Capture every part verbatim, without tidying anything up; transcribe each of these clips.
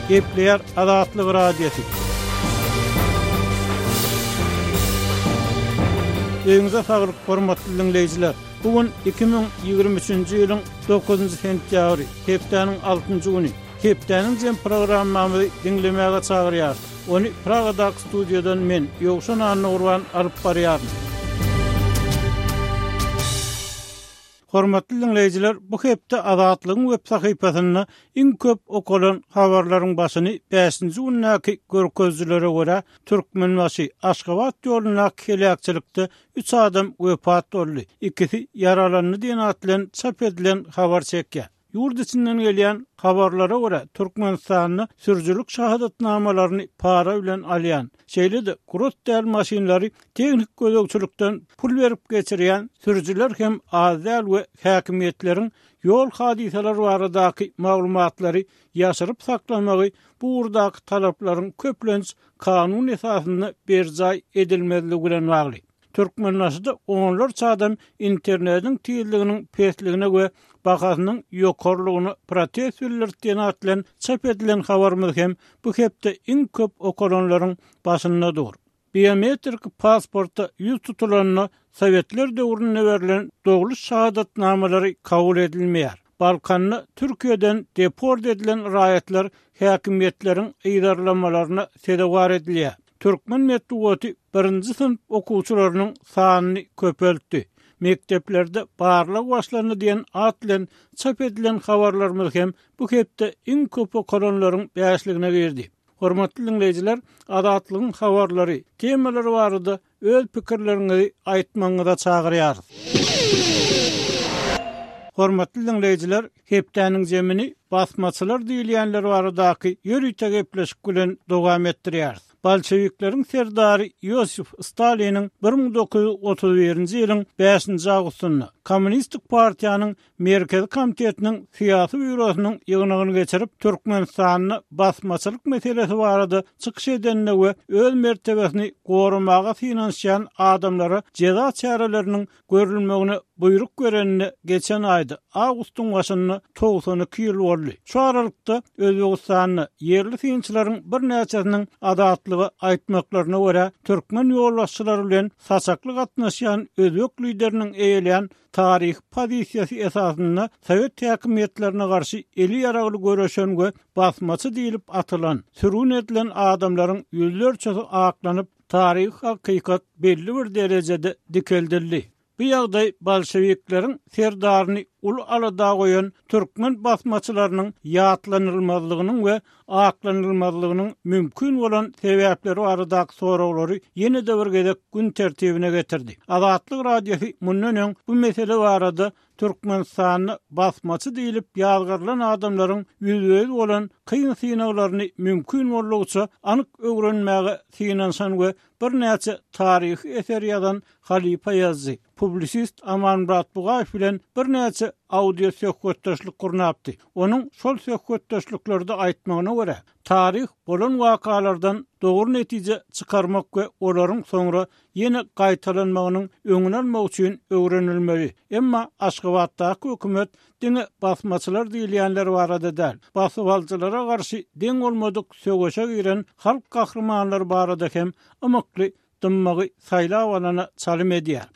Gepleýär Azatlyk Radiosy. Öýüňize saglyk, hormatly diňleýjiler. Bu gün iki müň ýigrimi üçünji ýylyň dokuzynjy sentýabry, hepdäniň altynjy güni. Hepdäniň jem programmamyzy diňlemäge çagyrýarys. Ony Pragadaky studiýadan men, Ýowşan Annagurban alyp barýaryn. Hormatly diňleýjiler, bu hepde Azatlygyň web sahypasynda iň köp okalan habarlaryň başyny bäşinji gündäki görkezijilere görä Türkmenbaşy Aşgabat ýolundaky heläkçilikde üç adam wepat boldy, ikisi ýaralandy diýen at bilen çap edilen habar çekýär. Ýurt içinden gelýän habarlara görä Türkmenistanda sürüjilik şahadatnamalaryny para bilen alýan, şeýle-de gross däl maşynlary tehnik gözegçilikden pul berip geçirýän sürüjiler hem az däl we häkimiýetleriň ýol hadysalary baradaky maglumatlary ýaşyryp saklamagy bu ugurdaky talaplaryň köplenç kanun esasynda berjaý edilmezligi bilen bagly. Türkmenbaşyda onlarça adam internetiň tizliginiň pesligine we bahasynyň ýokarylygyna protest bildirdi diýen at bilen çap edilen habarymyz hem bu hepde iň köp okalanlaryň başynda dur. Biometrik pasporta ýüz tutulanda Sowetler döwründe berlen dogluş şahadatnamalary kabul edilmeýär. Balkanda Türkiýeden deport edilen raýatlar häkimiýetleriň yzarlamalaryna sezewar edilýär. Türkmen metbugaty birinji synp okuwçylarynyň sanyny köpeltdi. Mekdeplerde barlag başlandy diýen at bilen çap edilen habarlarymyz hem bu hepde iň köp okalanlaryň bäşligine girdi. Hormatly diňleýjiler, Azatlygyň habarlary, temalary barada öz pikirleriňizi aýtmagyňyza çagyrýarys. Hormatly diňleýjiler, hepdäniň zemini basmaçylar diýilýänler baradaky ýörite gepleşik bilen dowam etdirýäris. Bolşewikleriň serdary Ýosif Staliniň bir müň dokuz ýüz otuz birinji ýylyň bäşinji awgustynda Kommunistik partiýanyň Merkezi komitetiniň syýasy býurosynyň ýygnagyny geçirip, Türkmenistanda basmaçylyk meselesi barada çykyş edenine we öz mertebesini goramaga synanyşýan adamlara jeza çäreleriniň görülmegine buýruk berenine geçen aýda awgustyň başynda togsan iki ýyl boldy. Şu aralykda Özbegistanda ýerli synçylaryň birnäçesiniň azatlyga aýtmaklaryna görä türkmen ýolbaşçylary bilen saçakly gatnaşýan özbek lideriniň eýelän taryh pozisiýasy esasynda Sowet häkimiýetlerine garşy eli ýaragly göreşen we basmaçy diýilip atylan, sürgün edilen adamlaryň ýüzlerçesi aklanyp, taryh hakykat belli bir derejede dikeldildi. Bu ýagdaý bolşewikleriň serdaryny uly alada goýan türkmen basmaçylarynyň ýatlanylmazlygynyň we aklanylmazlygynyň mümkin bolan sebäpleri baradaky soraglary ýene-de bir gezek gün tertibine getirdi. Azatlyk Radiosy mundan öň bu mesele barada Türkmenistanda basmaçy diýilip ýazgarylan adamlaryň ýüzbe-ýüz bolan kyn synaglaryny mümkin boldugyça anyk öwrenmäge synanyşan we birnäçe taryhy eser ýazan halypa ýazyjy, publisist Amanmyrat Bugaýew bilen birnäçe audio söhbetdeşlik gurnapdy. Onuň şol söhbetdeşliklerde aýtmagyna görä, taryh bolan wakalardan dogry netije çykarmak we olaryň soňra ýene gaýtalanmagynyň öňüni almak üçin öwrenilmeli. Emma Aşgabatdaky hökümet diňe basmaçylar diýilýänler barada däl, basybalyjylara garşy deň bolmadyk söweşe giren halk gahrymanlary barada hem ymykly dymmagy saýlap alana çalym edýär.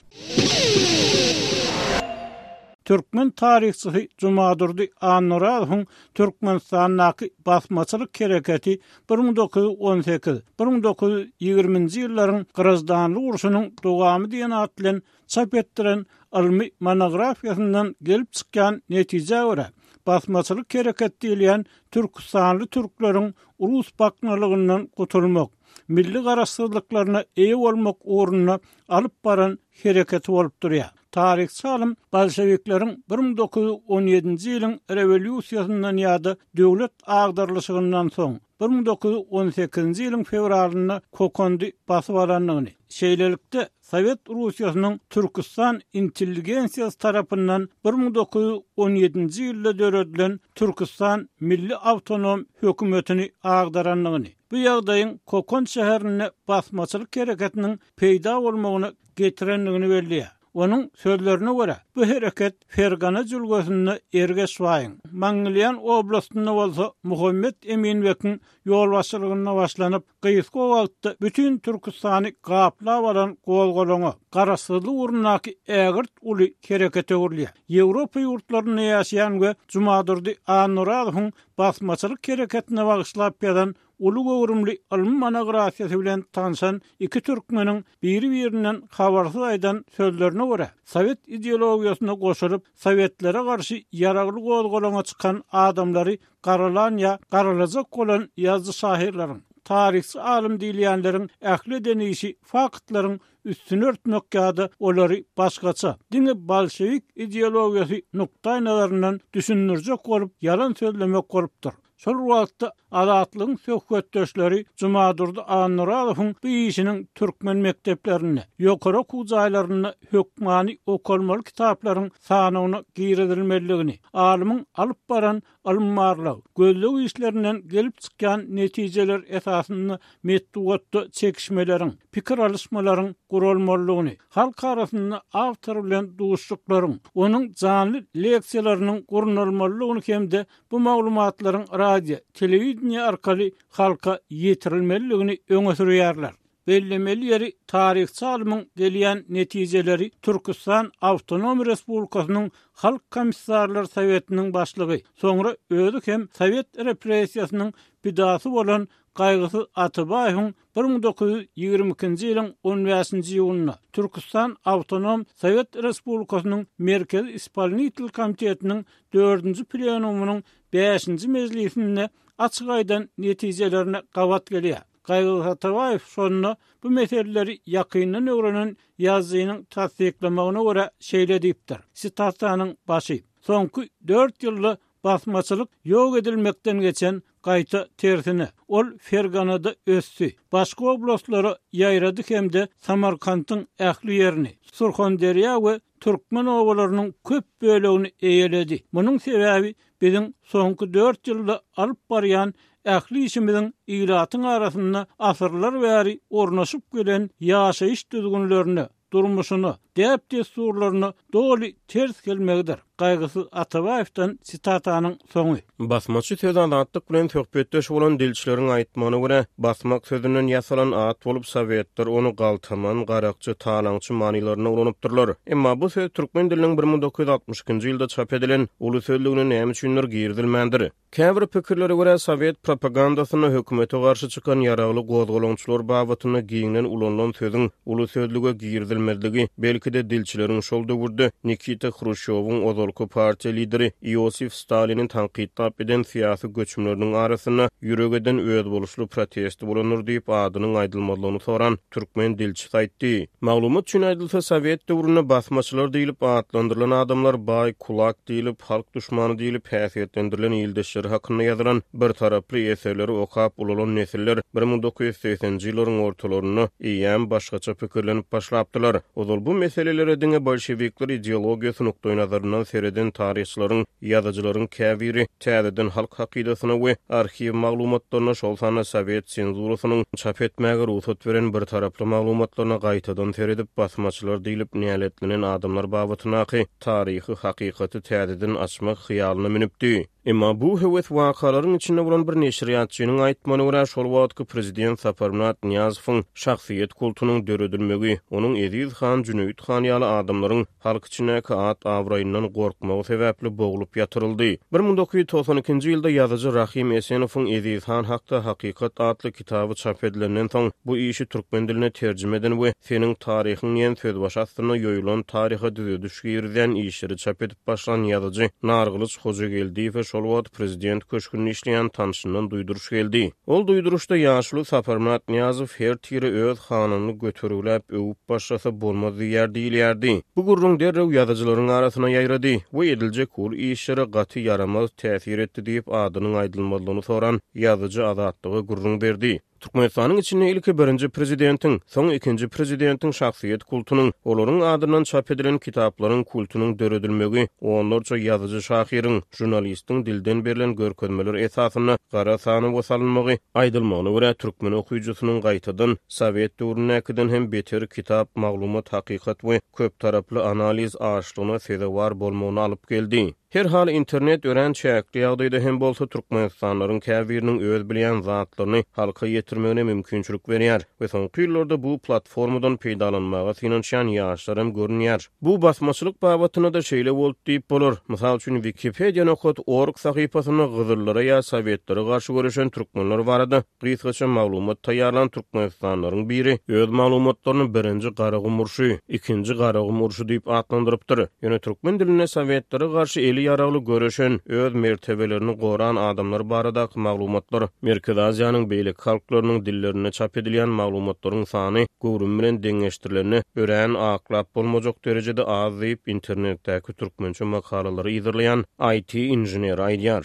Türkmen taryhçysy Jumadurdy Annarazowuň Türkmenistandaky basmaçylyk hereketi bir müň dokuz ýüz on sekiz, bir müň dokuz ýüz ýigriminji ýyllaryň graždanlyk urşunyň dowamy diýen at bilen çap etdiren ylmy monografiýasyndan gelip çykýan netijä görä, basmaçylyk hereket diýilýän Türküstanly türkleriň rus baknalygyndan gutulmak, milli garaşsyzlyklaryna eýe bolmak ugrunda alyp baran hereketi bolup durýar. Taryhçy alym bolşewikleriň bir müň dokuz ýüz on ýedinji ýylyň rewolýusiýasyndan ýa-da döwlet agdarylyşygyndan soň bir müň dokuz ýüz on sekizinji ýylyň fewralynda Kokondy basyp alandygyny, şeýlelikde Sowet Russiýasynyň Türküstan intelligensiýasy tarapyndan bir müň dokuz ýüz on ýedinji ýylda döredilen Türküstan Milli Awtonom hökümetini agdarandygyny, bu ýagdaýyň Kokon şäherinde basmaçylyk hereketiniň peýda bolmagyna getirendigini belleýär. Onuň sözlerine görä, bu hereket Fergana jülgesinde Ergeşbaýyň, Mangilýan oblastynda bolsa Muhammet Eminbekiň ýolbaşçylygynda başlanyp, gysga wagtda bütün Türkistany gaplap alan gozgalaňa, garaşsyzlyk ugrundaky ägirt uly herekete öwrülýär. Ýewropa ýurtlarynda ýaşaýan we Jumadurdy Annuradowyň basmaçylyk hereketine bagyşlap ýazan uly göwrümli ylmy monografiýasy bilen tanşan iki türkmeniň biri-birinden habarsyz aýdan sözlerine görä, Sowet ideologiýasyna goşulyp, Sowetlere garşy ýaragly gozgalaňa çykan adamlary garalan ýa garalajak bolan ýazyjy şahyrlaryň, taryhçy alym diýilýänleriň ähli eden işi faktlaryň üstüni örtmek ýa-da olary başgaça, diňe bolşewik ideologiýasy nukdaý nazaryndan düşündirjek bolup ýalan sözlemek bolupdyr. Şol wagtda Azatlygyň söhbetdeşleri Jumadurdy Annuradowyň bu işiniň türkmen mekdeplerinde, ýokary okuw jaýlarynda hökmany okalmaly kitaplaryň sanyna girizilmelidigini, alymyň alyp baran ylym-barlag, gözleg işlerinden gelip çykýan netijeler esasynda metbugatda çekişmeleriň, pikir alyşmalaryň guralmalydygyny, halk arasynda awtor bilen duşuşyklaryň, onuň janly leksiýalarynyň gurnalmalydygyny hem-de bu maglumatlaryň radio, telewideniýe arkaly halka ýetirilmelidigini öňe sürýärler. Bellemeli ýeri taryhçy alymyň gelýän netijeleri Türkistan Awtonom Respublikasynyň Halk Komissarlar Sowetiniň başlygy, soňra özi hem Sowet repressiýasynyň pidasy bolan Gaýgysyz Atabaýewiň bir müň dokuz ýüz ýigrimi ikinji ýylyň on bäşinji iýunynda Türkistan Awtonom Sowet Respublikasynyň Merkezi Ispolnitel Komitetiniň dördünji plenumynyň bäşinji mejlisinde açyk aýdan netijelerine gabat gelýär. Gaýgysyz Atabaýew şonda bu meseleleri ýakyndan öwrenen ýazyjynyň tassyklamagyna görä şeýle diýipdir. Sitatanyň başy. Soňky dört ýylda basmaçylyk ýok edilmekden geçen gaýta tersine. Ol Ferganada ösdi. Başga oblastlara ýaýrady hem-de Samarkantyň ähli ýerini, Surxonderýa we Türkmen obalarynyň köp bölegini eýeledi. Munuň sebäbi biziň soňky dört ýylda alyp barýan ähli işimiziň ilatyň arasynda asyrlar bäri ornaşyp gelen ýaşaýyş düzgünlerine, durmuşyna, däp-dessurlaryna doly ters gelmegidir. Gaýgysyz Atabaýewden sitatanyň soňy. Basmaçy söz azatlyk bilen söhbetdeş bolan dilçileriň aýtmagyna görä, basmak sözünden ýasalan at bolup Sowetler ony galtaman, garakçy, talaňçy manylarynda ulanypdyrlar. Emma bu söz türkmen diliniň bir müň dokuz ýüz altmyş ikinji ýylda çap edilen uly sözlügine näme üçindir girizilmändir. Käbir pikirlere görä Sowet propagandasynda hökümete garşy çykan ýaragly gozgalaňçylar babatynda giňden ulanylan sözüň uly sözlüge girizilmezligi, belki-de dilçileriň şol döwürde Nikita Hruşýowyň ozalky partiýa lideri Iosif Staliniň tankytlap eden syýasy göçümleriniň arasynda ýürek eden özboluşly protesti bolandyr diýip adynyň aýdylmazlygyny soran türkmen dilçisi aýtdy. Maglumat üçin aýdylsa, Sowet döwründe basmaçylar diýilip atlandyrylan adamlar baý kulak diýilip, halk düşmany diýilip häsiýetlendirilen ildeşleri hakynda ýazylan bir taraply eserleri okap ulalan nesiller bir müň dokuz ýüz segseninji ýyllaryň ortalarynda eýýäm başgaça pikirlenip başlapdylar. Ozal bu meselelere diňe bolşevikler ideologiýasy nukdaý nazaryndan sereden taryhçylaryň, ýazyjylaryň käbiri täzeden halk hakydasyna we arhiw maglumatlaryna, şol sanda Sowet senzurasynyň çap etmäge rugsat beren bir taraply maglumatlaryna gaýtadan seredip basmaçylar diýilip näletlenen adamlar babatyndaky taryhy hakykaty täzeden açmak hyýalyna münüpdi. Emma bu höwes wakalaryň içinde bolan bir neşirýatçynyň aýtmagyna görä, şol wagtky prezident Saparmyrat Nyýazowyň şahsyýet kultunyň döredilmegi, onuň Eziz han, Jüneýit han ýaly adamlaryň halk içindäki at abraýyndan gorkmagy sebäpli boglup ýatyryldy. Bir müň dokuz ýüz togsan ikinji ýylda ýazyjy Rahim Esenowyň Eziz han hakda hakykat atly kitaby çap edilenden soň bu işi türkmen diline terjime eden we seniň taryhyň diýen sözbaşy astynda ýoýulan taryha düzediş girizýän işleri çap edip başlan ýazyjy Nargylyç Hojageldiýewe şol wagt prezident köşgünde işleýän tanşyndan duýduryş geldi. Ol duýduryşda ýaşuly Saparmyrat Nyýazow her tire öz hanyny götergüläp öwüp başlasa bolmaz diýer diýilýärdi. Bu gürrüň derrew ýazyjylaryň arasyna ýaýrady we ediljek ul işlere gaty ýaramaz täsir etdi diýip adynyň aýdylmazlygyny soran ýazyjy Azatlyga gürrüň berdi. Türkmenistanyň içinde ilki birinji prezidentiň, soň ikinji prezidentiň şahsyýet kultunyň, olaryň adyndan çap edilen kitaplaryň kultunyň döredilmegi, onlarça ýazyjy şahyryň, žurnalistiň dilden berlen görkezmeler esasynda gara sanawa salynmagy, aýdylmagyna görä türkmen okyjysynyň gaýtadan Sowet döwründäkiden hem beter kitap, maglumat, hakykat we köp taraply analiz açlygyna sezewar bolmagyny alyp geldi. Her hal internet örän çäkli ýagdaýda hem bolsa Türkmenistanlaryň käbiriniň öz bilýän zatlaryny halka ýetirmegine mümkinçilik berýär we soňky ýyllarda bu platformadan peýdalanmaga synanyşýan ýaşlar hem görünýär. Bu basmaçylyk babatynda da şeýle boldy diýip bolar. Mysal üçin Wikipedia.org sahypasynda Gyzyllara ýa Sowetlere garşy göreşen türkmenler barada gysgaça maglumat taýýarlan Türkmenistanlaryň biri öz maglumatlaryny birinji Garagum urşy, ikinji Garagum urşy diýip atlandyrypdyr. Ýöne türkmen dilinde Sowetlere garşy eli ýaragly göreşen, öz mertebelerini goran adamlar baradaky maglumatlar Merkezi Aziýanyň beýleki halklarynyň dillerinde çap edilýän maglumatlaryň sany göwrüm bilen deňeşdirilende örän aklap bolmajak derejede az diýip internetdäki türkmençe makalalary ýazyrlaýan IT inženeri aýdýar.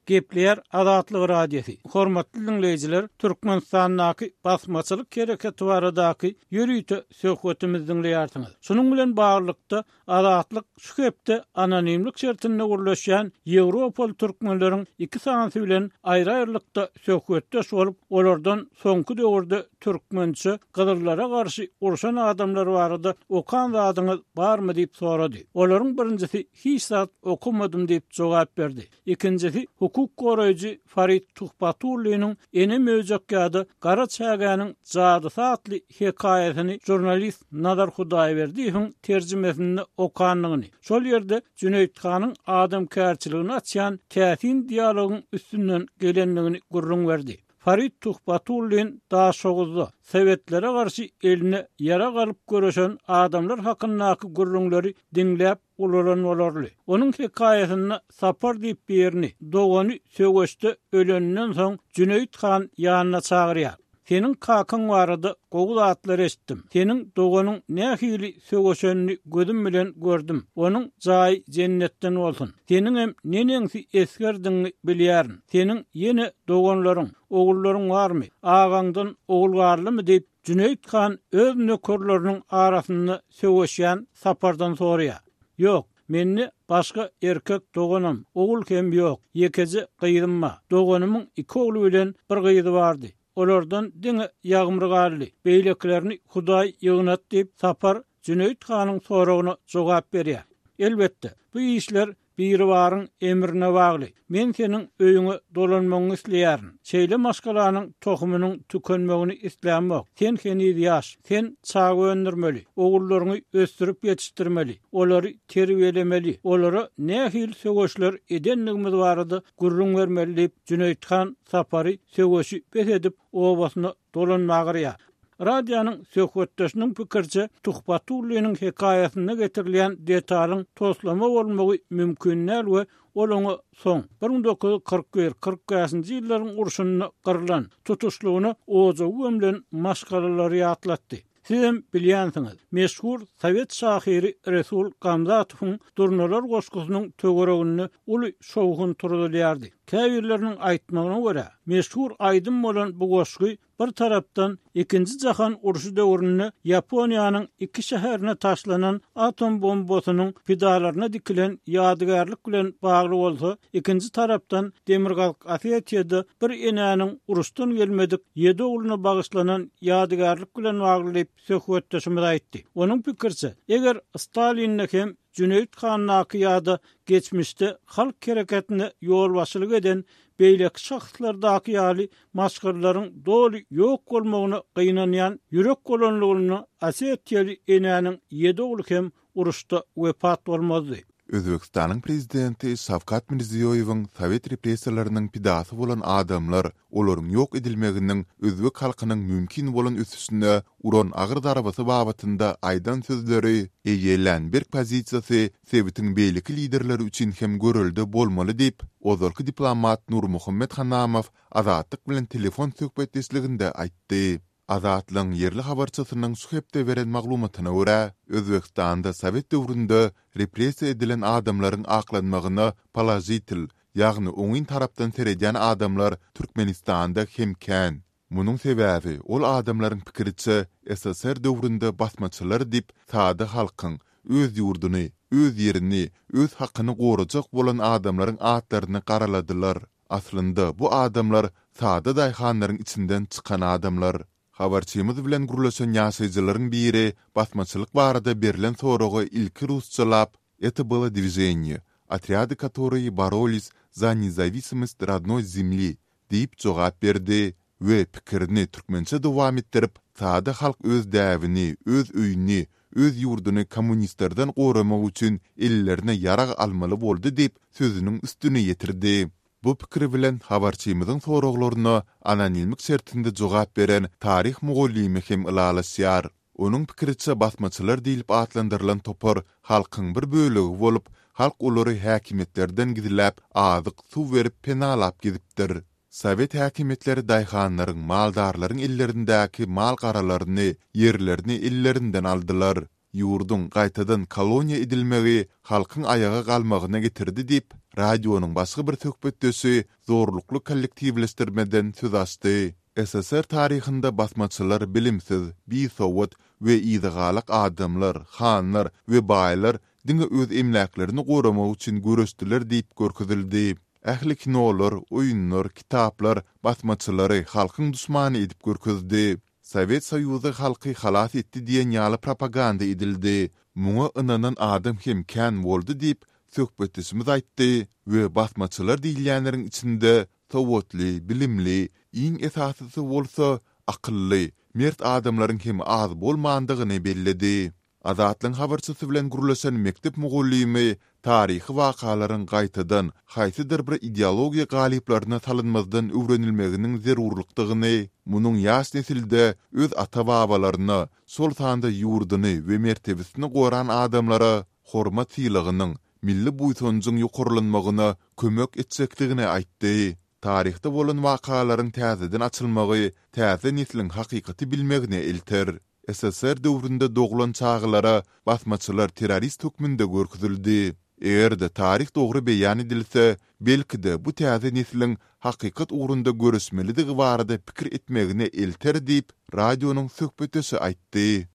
Gepleýär Azatlyk Radiosy. Hormatly dinleýjiler, Türkmenistandaky basmaçylyk hereketi baradaky ýörite söhbetimizi dinleýärsiňiz. Şunuň bilen baglylykda Azatlyk şu hepde anonimlik şertinde gurlaşýan Ýewropaly türkmenleriň iki sanysy bilen aýry-aýrylykda söhbetdeş bolup, olardan soňky döwürde türkmençe gyzyllara garşy urşan adamlar barada okan zadyňyz barmy diýip sorady. Olaryň birinjisi hiç zat okumadym diýip jogap berdi. Ikinjisi hukuk goraýjy Farid Tuhbatulliniň Ene möjek ýa-da Gara çägäniň jadysy atly hekaýasyny žurnalist Nazar Hudaýberdiýewiň terjimesinde okandygyny, şol ýerde Jüneýit hanyň adamkärçiligini açýan täsin dialogyň üstünden gelendigini gürrüň berdi. Farid Tuhbatullin Daşoguzda Sowetlere garşy eline ýarag alyp göreşen adamlar hakyndaky gürrüňleri diňläp ulalan bolarly. Onuň hekaýasynda Sapar diýip birini dogany söweşde ölenden soň Jüneýit han ýanyna çagyrýar. Seniň kakaň barada gowy zatlar eşitdim. Seniň doganyň nähili söweşenini gözüm bilen gördüm. Onuň jaýy jennetden bolsun. Seniň hem neneňsi esgerdiňi bilýärin. Seniň ýene doganlaryň, ogullaryň barmy? Agaňdan ogul barlymy diýip Jüneýit han öz nökerleriniň arasynda söweşýän Sapardan soraýar. Ýok, mende başga erkek doganym, ogul hem ýok. Ýekeje gyzym bar. Doganymyň iki ogly bilen bir gyzy bardy. Olardan diňe ýagmyr galdy. Beýlekilerini Hudaý ýygnat diýip Sapar Jüneýit hanyň soragyna jogap berýär. Elbetde, bu işler biribaryň emrine bagly. Men seniň öýüňe dolanmagyňy isleýärin. Şeýle maşgalanyň tohumynyň tükenmegini islämok. Sen heniz ýaş, sen çaga öndürmeli, ogullaryňy ösdürip ýetişdirmeli, olary terbiýelemeli, olara nähili söweşler edendigimiz barada gürrüň bermeli diýip Jüneýit han Sapary söweşi bes edip obasyna dolanmaga Radionyň söhbetdeşiniň pikirçe Tuhbatulliniň hekaýasynda getirilýän detalyň toslama bolmagy mümkin däl we ol oňa soň bir müň dokuz ýüz kyrk bir kyrk bäşinji ýyllaryň urşunda gyrylan tutuşlygyna ojagy gömlen maşgalalary ýatlatdy. Siz hem bilýänsiňiz, meşhur sowet şahyry Resul Gamzatowyň Durnalar goşgusynyň töwereginde uly şowhun turuzylýardy. Käbirleriniň aýtmagyna görä, meşhur aýdym bolan bu goşgy bir tarapdan ikinji jahan urşy döwründe Ýaponiýanyň iki şäherine taşlanan atom bombasynyň pidalaryna dikilen ýadygärlik bilen bagly bolsa, ikinji tarapdan Demirgazyk Osetiýada bir enäniň uruşdan gelmedik ýedi ogluna bagyşlanan ýadygärlik bilen bagly diýip söhbetdeşimiz aýtdy. Onuň pikirçe, eger Stalinne hem Jüneýit handaky ýa-da geçmişde halk hereketine ýolbaşçylyk eden beýleki şahslardaky ýaly maşgalalaryň doly ýok bolmagyna gynanýan ýürek bolanlygyny Osetiýaly enäniň ýedi ogly hem uruşda wepat bolmazdy. Özbekistanyň prezidenti Şawkat Mirziýoýewiň Sowet repressiýalarynyň pidasy bolan adamlar, olaryň ýok edilmeginiň özbek halkynyň mümkin bolan ösüşine uran agyr zarbasy babatynda aýdan sözleri, eýelän berk pozisiýasy sebitiň beýleki liderleri üçin hem görelde bolmaly diýip, ozalky diplomat Nurmuhammet Hanamow Azatlyk bilen telefon söhbetdeşliginde aýtdy. Azatlygyň ýerli habarçysynyň şu hepde beren maglumatyna görä, Özbekistanda Sowet döwründe repressiýa edilen adamlaryň aklanmagyna položitel, ýagny oňyn tarapdan seredýän adamlar Türkmenistanda hem kän. Munuň sebäbi ol adamlaryň pikiriçe S S R döwründe basmaçylar diýip sada halkyň öz ýurduny, öz ýerini, öz hakyny gorajak bolan adamlaryň atlaryny garaladylar. Aslynda bu adamlar sada daýhanlaryň içinden çykan adamlar. Habarçymyz bilen gürleşen ýaşaýjylaryň biri basmaçylyk barada berlen soraga ilki rusçalap "Это было движение, отряды, которые боролись за независимость родной земли" diýip jogap berdi we pikirini türkmençe dowam etdirip, sada halk öz däbini, öz öýüni, öz ýurduny kommunistlerden goramak üçin ellerine ýarag almaly boldy diýip sözüniň üstüni ýetirdi. Bu pikir bilen habarçymyzyň soraglaryna anonimlik şertinde jogap beren taryh mugallymy hem ylalaşýar. Onuň pikiriçe basmaçylar diýlip atlandyrylan topar halkyň bir bölegi bolup, halk olary häkimiýetlerden gizläp, azyk, suw berip penalap gidipdir. Sowet häkimiýetleri daýhanlaryň, maldarlaryň ellerindäki mal garalaryny, ýerlerini ellerinden aldylar. Ýurduň gaýtadan koloniýa edilmegi halkyň aýaga galmagyna getirdi diýip, radionyň başga bir söhbetdeşi zorlukly kollektiwleşdirmeden söz açdy. S S R taryhynda basmaçylar bilimsiz, bisowat we yzagalak adamlar, hanlar we baýlar diňe öz emläklerini goramak üçin göreşdiler diýip görkezildi. Ähli kinolar, oýunlar, kitaplar basmaçylary halkyň duşmany edip görkezdi. Sowet Soýuzy halky halas etdi diýen ýaly propaganda edildi. Muňa ynanan adam hem kän boldy diýip söhbetdeşimiz aýtdy we basmaçylar diýilýänleriň içinde sowatly, bilimli, iň esasysy bolsa akylly, mert adamlaryň hem az bolmandygyny belledi. Azatlygyň habarçysy bilen gürleşen mekdep mugallymy taryhy wakalaryň gaýtadan haýsydyr bir ideologiýa galyplaryna salynmazdan öwrenilmeginiň zerurlykdygyny, munuň ýaş nesilde öz ata-babalaryna, şol sanda ýurduny we mertebesini goran adamlara hormat sylagynyň, milli buýsanjyň ýokarlanmagyna kömek etjekdigini aýtdy. Taryhda bolan wakalaryň täzeden açylmagy täze nesliň hakykaty bilmegine elter. S S R döwründe doglan çagalara basmaçylar terrorist hökmünde görkezildi. Eger-de taryh dogry beýan edilse, belki-de bu täze nesliň hakykat ugrunda göreşmelidigi barada pikir etmegine elter diýip, radionyň söhbetdeşi aýtdy.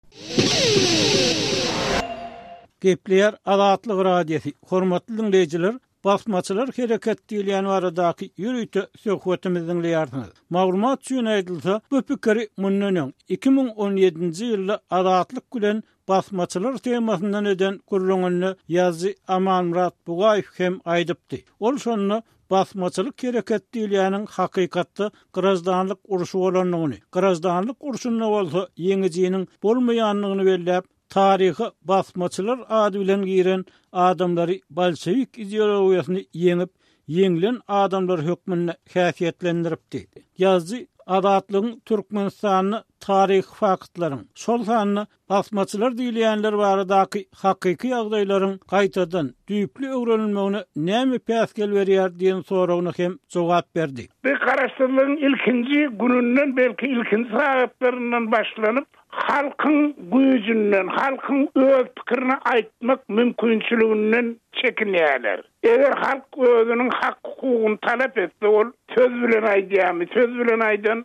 Gepleýär Azatlyk Radiosy. Hormatly dinleýjiler, basmaçylar hereket diýilýän baradaky ýörite söhbetimizi diňleýärsiňiz. Maglumat üçin aýdylsa, bu pikiri mundan öň iki müň on ýedinji ýylda Azatlyk bilen basmaçylar temasyndan eden gürrüňinde ýazyjy Amanmyrat Bugaýew hem aýdypdy. Ol şonda basmaçylyk hereket diýilýäniň hakykatda graždanlyk urşy bolandygyny, graždanlyk urşunda bolsa ýeňijiniň bolmaýandygyny belläp, taryha basmaçylar ady bilen giren adamlary bolşewik ideologiýasyny ýeňip, ýeňilen adamlar hökmünde häsiýetlendiripdi. Ýazyjy Azatlygyň Türkmenistanda taryhy faktlaryň, şol sanda basmaçylar diýilýänler baradaky hakyky ýagdaýlaryň gaýtadan düýpli öwrenilmegine näme päsgel berýär diýen soragyna hem jogap berdi. Bir garaşsyzlygyň ilkinji gününden, belki ilkinji sagatlaryndan başlanyp halkyň güýjünden, halkyň öz pikirini aýtmak mümkinçiliginden çekinýärler. Eger halk özüniň hak hukugyny talap etse, ol söz bilen aýdýarmy, söz bilen aýdan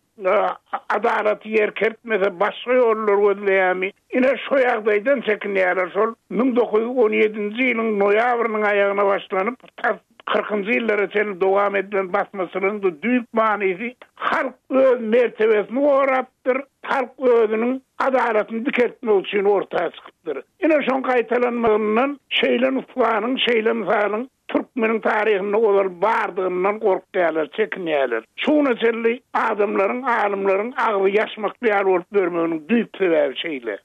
adalaty ýerkertmese başga ýollar gözleýärmi? Ine şu ýagdaýdan çekinýärler. Şol müň dokuz ýüz on ýedinji ýylyň noýabrynyň aýagyna başlanyp, tas kyrkynjy ýyllara çenli dowam edilen basmaçylygyň düýp manysy halk öz mertebesini gorapdyr, halk özüniň adalatyny dikeltmek üçin orta çykypdyr. Ine şoň gaýtalanmagyndan şeýle nusganyň, şeýle mysalyň türkmeniň taryhynda ozal bardygyndan gorkýarlar, çekinýärler. Şuna çenli adamlaryň, alymlaryň agzy ýaşmakly ýaly bolup bermeginiň düýp sebäbi şeýle.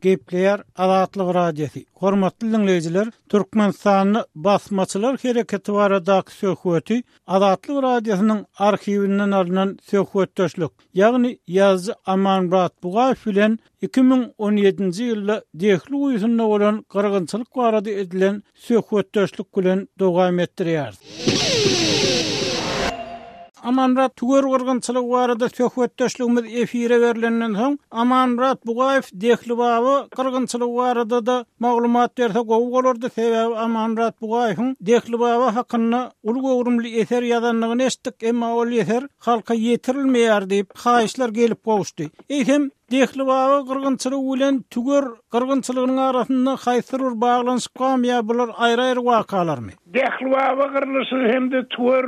Gepleýär Azatlyk Radiosy. Hormatly dinleýjiler, Türkmenistanda basmaçylar hereketi baradaky söhbeti Azatlyk Radiosynyň arhiwinden alynan söhbetdeşlik, ýagny ýazyjy Amanmyrat Bugaýew bilen iki müň on ýedinji ýylda Dehli guýusynda bolan gyrgynçylyk barada edilen söhbetdeşlik bilen dowam etdirýär. Amanmyrat Tüwer gyrgynçylygy barada söhbetdeşligimiz efire berilenden soň Amanmyrat Bugaýew Dehlibaba gyrgynçylygy barada-da maglumat berse gowy bolardy. Sebäbi Amanmyrat Bugaýewiň Dehlibaba hakynda uly göwrümli eser ýazandygyny eşitdik, emma ol eser halka ýetirilmeýär diýip haýyşlar gelip gowuşdy. Eýsem Dehlibaba gyrgynçylygy bilen Tüwer gyrgynçylygynyň arasynda haýsy bir baglanyşyk barmy ýa bular aýry-aýry wakalarmy? Dehlibaba gyrlyşy hem-de Tüwer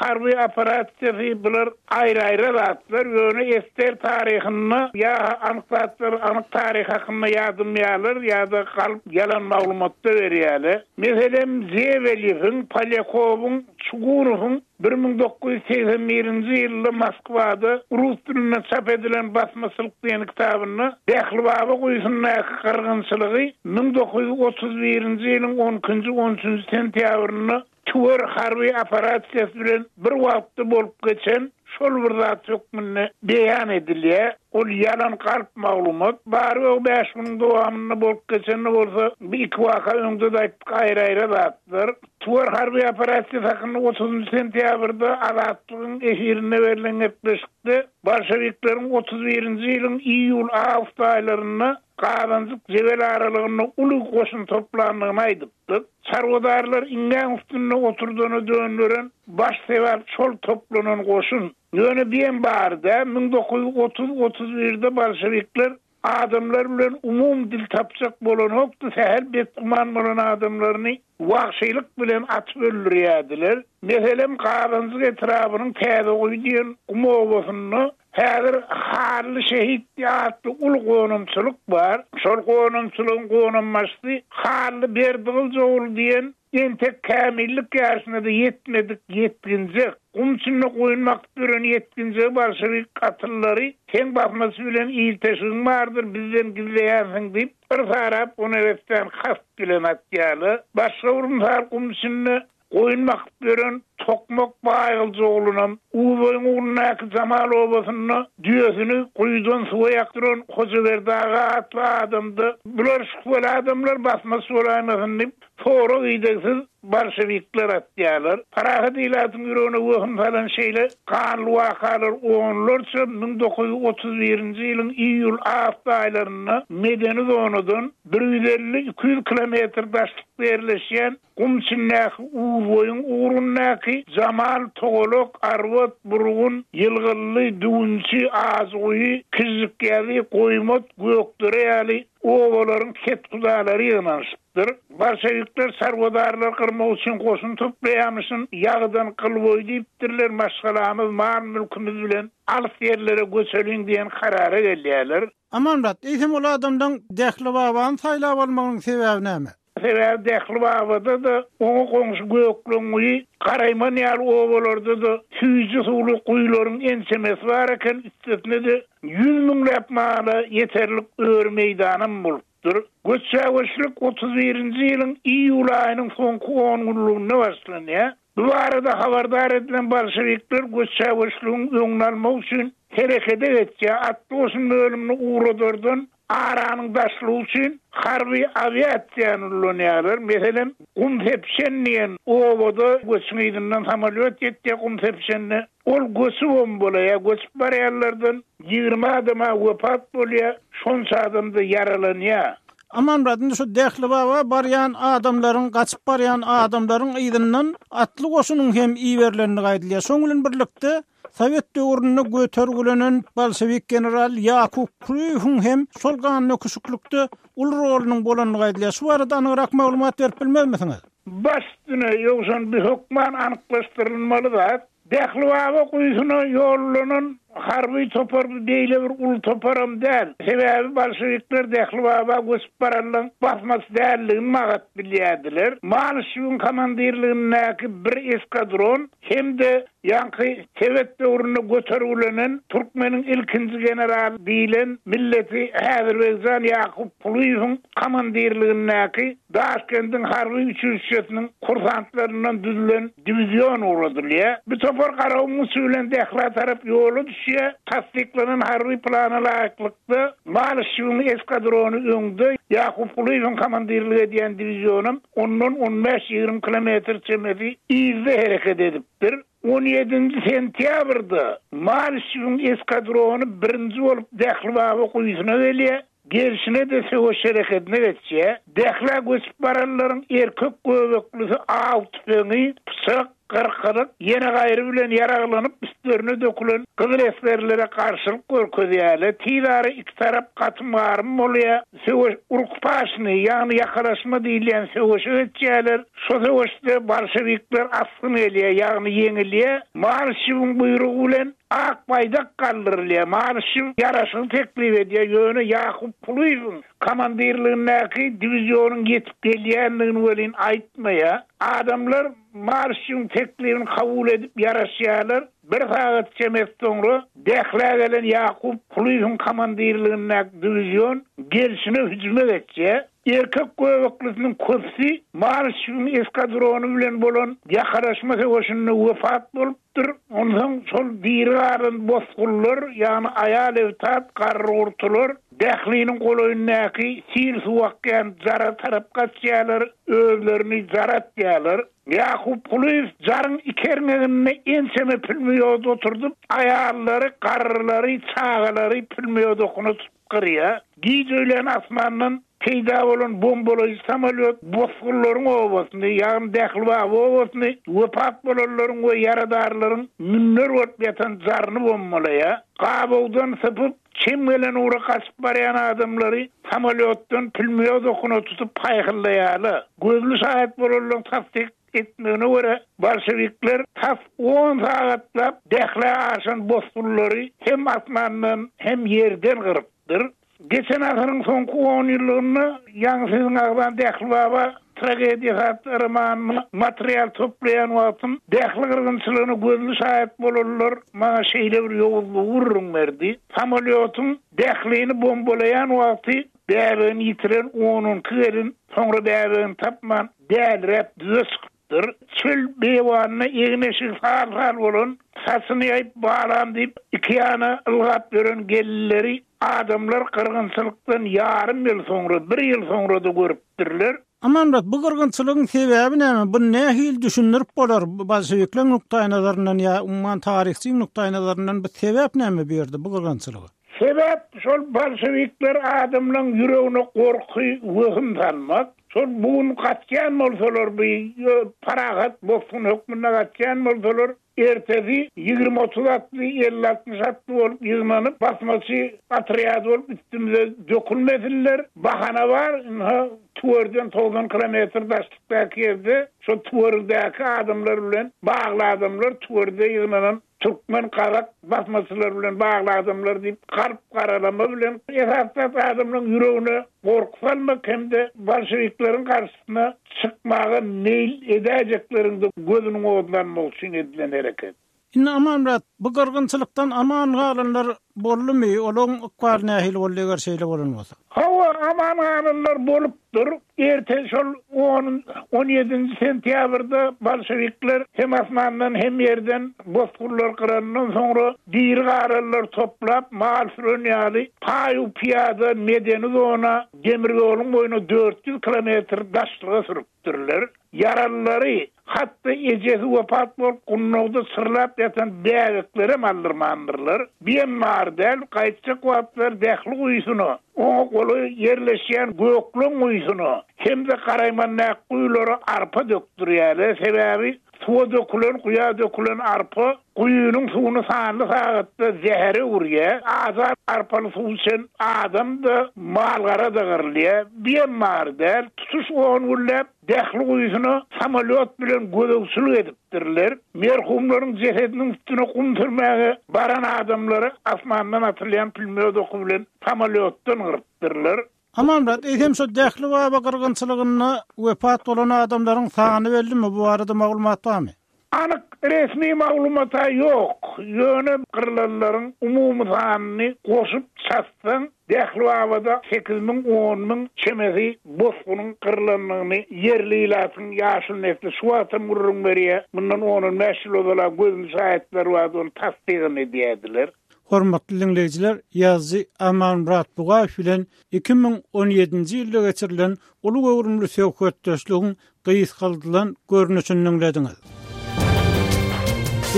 harby operasiýasy bular aýry-aýry zatlar. Ýöne ester taryhynda ýa anyk zatlar, anyk taryh hakynda ýadymýarlar ýa-da galyp ýalan maglumatda berýärler. Meselem, Zeweliň, Polyakowyň, Çugurowyň bir müň dokuz ýüz segsen birinji ýylda Moskwada rus dilinde çap edilen basmaçylyk diýen kitabynda Dehlibaba guýusyndaky gyrgynçylygy müň dokuz ýüz otuz birinji ýylyň on ikinji, on üçünji sentýabrynda Tüwer harby operasiýasy bilen bir wagtda bolup geçen şol bir zat hökmünde beýan edilýär. Ol ýalan galp maglumat. Bary ýogy bäş günüň dowamynda bolup geçen bolsa, bir iki waka öňde de aýtdyk aýry-aýry zatlar. Tüwer harby operasiýasy hakynda otuzynjy sentýabrda Azatlygyň efirinde berlen gepleşikde Bolşewikleriň otuz birinji ýylyň iýul-awgust aýlarynda Gazanjyk Jebel aralygynda uly goşun toplandygyny aýdypdyk. Çarwadarlar iňňäň üstünde oturdana döndüren baş sebäp şol toplanan goşun. Ýöne biýem barda müň dokuz ýüz otuz otuz birde bolşevikler adamlar bilen umum dil tapjak bolan hokdy, sähel betguman bolan adamlaryny wagşylyk bilen atyp öldürýärdiler. Meselem, Gazanjyk etrabynyň Täze Guýy diýen gum obasynda häzir Harly Şehit atly uly gonamçylyk bar. Şol gonamçylygyň gonambaşysy Harly Berdigylyjoğlu diýen entek kämillik ýaşyna-da ýetmedik ýetginjek. Gum içinde goýun bakyp ýören ýetginjegi bolşewik gatyllary seň basmasy bilen ilteşigiň bardyr, bizden gizleýänsiň diýip, bir sarap oneresden kast bilen atýarlar. Başga bir mysal gum içinde goýun bakyp ýören Tokmak Baýgylyjoğlunam Uzoýyň ugrundaky Jamal obasynda düýesini guýudan suwa ýakdyran Hojaberdi aga atly adamda bular şübheli adamlar basmasy bolaýmasyn diýip sorag idegsiz bolşevikler atýarlar. Parahat ilatyň ýüregine wehim salan şeýle ganly wakalar onlarça müň dokuz ýüz otuz birinji ýylyň iýul-awgust aýlarynda medeni zonadan bir ýüz elli iki ýüz kilometr daşlykda ýerleşýän gum içindäki Uzboýuň ugrundaky Jamal, Togolok, Arwat, Burgun, Ýylgylly, Düwünçi, Azguýy, Kijikýazy, Goýmat, Gökdere ýaly obalaryň ketkudalary ýygnanyşypdyr. Bolşevikler çarwadarlar gyrmak üçin goşun toplaýamyşyn, ýagdan gylboý diýipdirler, maşgalamyz, mal mülkümüz bilen alys ýerlere göçeliň diýen karara gelýärler. Amanmyrat, eýsem ol adamdan Dehlibabany saýlap almagyň sebäbi näme? Sebäbi Dehlibabada da oňa goňşy Gökleňguýy, Garaýman ýaly obalarda da süýji suwly guýularyň ençemesi bar eken, üstesine de ýüz müňläp mala ýeterlik öri meýdanam bolupdyr. Göçäweşlik otuz birinji ýylyň iýul aýynyň soňky on günlüginde başlanýar. Bu barada habardar edilen bolşevikler göçäweşligiň öňüni almak üçin herekete geçýär. Atly goşun bölümini ugradardan aranyň daşlygy üçin harby awiasiýany ulanýarlar. Meselem, gum sepşen diýen obada göçüň yzyndan samolýot ýetýär gum sepşende. Ol göçüp bombalaýar, göçüp barýanlardan ýigrimi adama wepat bolýar, şonça adam da ýaralanýar. Amanmyrat, indi şu Dehlibaba barýan adamlaryň, gaçyp barýan adamlaryň yzyndan atly goşunyň hem iberilendigi aýdylýar. Şoň bilen birlikde Sowet döwründe götergülenen bolşewik general Ýakup Kulyýewiň hem şol ganly küçüklükde uly rolunyň bolandygy aýdylýar. Şu barada anygrak maglumat berip bilmezmisiňiz? Baş üstüne ýogşan bir hökman anyklaşdyrylmaly zat. Dehlibaba guýusyna ýollanan harby topar beýle bir uly toparam däl. Sebäbi bolşevikler Dehlibaba göçüp baranlaryň basmasy dälligini magat bilýärdiler. Malyşewiň komandirligindäki bir eskadron hem-de ýaňky Sowet döwründe götergülenen Türkmeniň ilkinji general diýilen milleti Häzirbeýjan Ýakup Kulyýewiň komandirligindäki Daşkendiň harby üçilişesiniň kursantlaryndan düzülen diwizion ugradylýar. Bu topar Garagumuň uçy bilen Dehla tarap ýola düşýär. Tasdiklanan harby plana laýyklykda Malyşewiň eskadrony öňde, Ýakup Kulyýewiň komandirlik edýän diwizionam ondan on bäş ýigrimi kilometr çemesi yzda hereket edipdir. On ýedinji sentýabrda Malişewiň eskadrony birinji bolup Dählibaba guýusyna gelýär. Gelşine-de söweş hereketine geçýär. Dählä göçüp baranlaryň erkek göbeklisi aw tüpeňi, pyçak, gyrkylyk, ýene gaýry bilen ýaraglanyp üstlerine dökülen gyzyl esgerlere garşylyk görkezýärler. Tiz ara iki tarap gatym-garym bolýar. Söweş urukpaşny, ýagny ýakalaşma diýilýän söweşe geçýärler. Şo söweşde bolşewikler asgyn gelýär, ýagny ýeňilýär. Malişewiň buýrugy bilen ak baýdak galdyrylýar. Malişew ýaraşygy teklip edýär, ýöne Ýakup Kulyýewiň komandirligindäki diwizionyň ýetip gelýändigini welin aýtmaýar. Adamlar Malişewiň teklibini kabul edip ýaraşýarlar. Bir sagat çemesi soňra Dählä gelen Ýakup Kulyýewiň komandirligindäki diwizion gelşine hüjüme geçýär. Erkek göbeklisiniň köpüsi Malişewiň eskadrony bilen bolan ýakalaşma söweşinde wepat bolupdyr. Onsoň şol diri galan bosgunlar, ýagny aýal-ebtat, garry-gurtular Dähliniň golaýyndaky sil suw akýan jara tarap gaçýarlar, özlerini jara atýarlar. Ýakup Kulyýew jaryň iki erňeginde ençeme pülmýod oturdyp, aýallary, garrylary, çagalary pülmýod okuna tutup gyrýar. Giç öýlän asmandan peýda bolan bombalaýjy samolýot bosgunlaryň obasyny, ýagny Dählibaba obasyny, wepat bolanlaryň we ýaradarlaryň münder bolup ýatan jaryny bombalaýar. Gabawdan sypyp, çem gelen ugra gaçyp barýan adamlary samolýotdan pülmýod okuna tutup paýhyllaýarlar. Gözli şaýat bolanlaryň tassyk etmegine görä, bolşewikler tas on sagatlap Dählä aşan bosgunlary hem asmandan hem ýerden gyrypdyr. Geçen asyryň soňky on ýyllygynda ýaňy siziň agzan Dählibaba tragediýasy atly romanyna material toplaýan wagtym Dähli gyrgynçylygyna gözli şaýat bolanlar maňa şeýle bir ýowuzlygy gürrüň berdi. Samolýotyň Dählini bombalaýan wagty bäbegini ýitiren on iki gelin soňra bäbegini tapman däliräp düze çykypdyr. Çöl beýewanyna egin-eşigi sal-sal bolan, saçyny ýaýyp balam diýip iki ýana ylgap ýören gelinleri adamlar gyrgynçylykdan ýarym ýyl soňra, bir ýyl soňra da görüpdirler. Amanmyrat, bu gyrgynçylygyň sebäbi näme? Bu nähili düşündirip bolar bolşewikleriň nukdaýnazaryndan ýa umuman taryhçy nukdaýnazaryndan bu sebäp näme bu ýerde bu gyrgynçylyga? Sebäp şol bolşewikler adamlaryň ýüregine gorky, wehim salmak. Şol bugün gaçýan bolsalar, bu parahat bosgun hökmünde gaçýan bolsalar, ertesi ýigrimi otuz atly, elli altmyş atly bolup ýygnanyp, basmaçy otrýady bolup üstümize dökülmesinler. Bahana bar, ynha Tüwerden togsan kilometr daşlykdaky ýerde şol Tüwerdäki adamlar bilen bagly adamlar, Tüwerde ýygnanan türkmen, gazak basmaçylar bilen bagly adamlar diýip galp garalama bilen esasda adamlaryň ýüregine gorky salmak hem-de bolşewikleriň garşysyna çykmaga meýil edäýjekleriň de gözüniň odlanmagy üçin edilen hereket. Indi Amanmyrat, bu gyrgynçylykdan aman galanlar boldumy? Olaryň ykbaly nähili boldy eger şeýle bolan bolsa? Hawa, aman galanlar bolupdyr. Erte şol on, on ýedinji sentýabrda bolşewikler hem asmandan hem ýerden bosgunlar gyrandan soňra diri galanlar toplap mal süren ýaly paýu piýada medeni zona demir ýoluň boýuna dört ýüz kilometr daşlyga sürüpdirler. Ýaralylary, hatda ejesi wepat bolup gundagda çyrlap ýatan bäbeklere aldyrmandyrlar. Biem bar däl, gaýtjak wagtlar dähli guýusyna, oňa golaý ýerleşýän gökleň guýusyna hem-de garaýmandak guýulara arpa dökdürýärler. Sebäbi suwa dökülen, guýa dökülen arpa guýunyň suwuny sanly sagatda zähere urýar. Azar arpaly suw içen adam da malgara da gyrylýar. Biem bar däl, tutuş on günläp dähli guýusyna samolýot bilen gözegçilik edipdirler. Merhumlaryň jesediniň üstüne gum sürmäge baran adamlary asmandan atylýan pülmýod oky bilen samolýotdan gyrypdyrlar. Amanmyrat, eýsem şo Dählibaba gyrgynçylygynda wepat bolan adamlaryň sany bellimi? Bu barada maglumat barmy? Anyk resmi maglumata ýok. Ýöne gyrlanlaryň umumy sanyny goşup çatsaň, Dählibabada sekiz müň, on müň çemesi bosgunyň gyrlanlygyny ýerli ilatyň ýaşyl nesli şu wagtam gürrüň berýär. Mundan on on bäş ýyl ozal gözli şaýatlar bardy, ony tasdygyny edýärdiler. Hormatly dinleýjiler, ýazyjy Amanmyrat Bugaýew bilen iki müň on ýedinji ýylda geçirilen uly göwrümli söhbetdeşligiň gysgaldylan görnüşini dinlediňiz.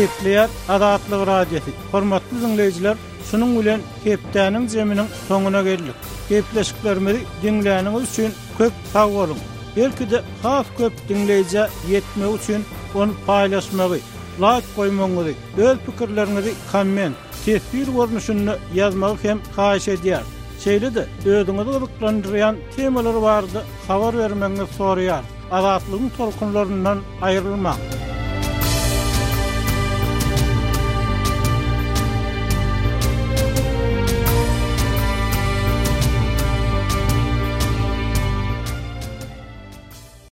Gepleýär Azatlyk Radiosy. Hormatly dinleýjiler, şunuň bilen hepdäniň zeminiň soňuna geldik. Gepleşiklerimizi diňläniňiz üçin köp sag boluň. Belki-de has köp dinleýjä ýetmek üçin ony paýlaşmagy, like goýmagyňyzy, öz pikirleriňizi komment, teswir görnüşinde ýazmagy hem haýyş edýär. Şeýle-de özüňizi gyzyklandyrýan temalar barada habar bermegiňizi soraýar. Azatlygyň tolkunlaryndan aýrylmaň.